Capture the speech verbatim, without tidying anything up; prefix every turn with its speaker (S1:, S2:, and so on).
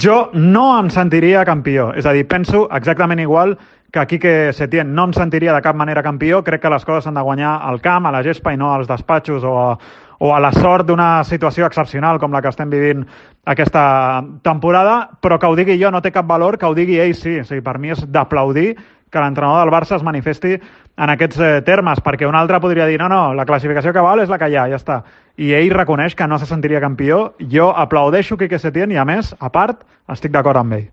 S1: Jo no em sentiria campió. És a dir, penso exactament igual que Quique Setién no em sentiria de cap manera campió. Crec que les coses s'han de guanyar al camp, a la gespa i no als despatxos o a, o a la sort d'una situació excepcional com la que estem vivint aquesta temporada, però que ho digui jo no té cap valor, que ho digui ell sí. O sigui, per mi és d'aplaudir que l'entrenador del Barça es manifesti en aquests eh, termes, perquè un altre podria dir no, no, la classificació que val és la que hi ha, ja està. I ell reconeix que no se sentiria campió. Jo aplaudeixo Quique Setién i, a més, a part, estic d'acord amb ell.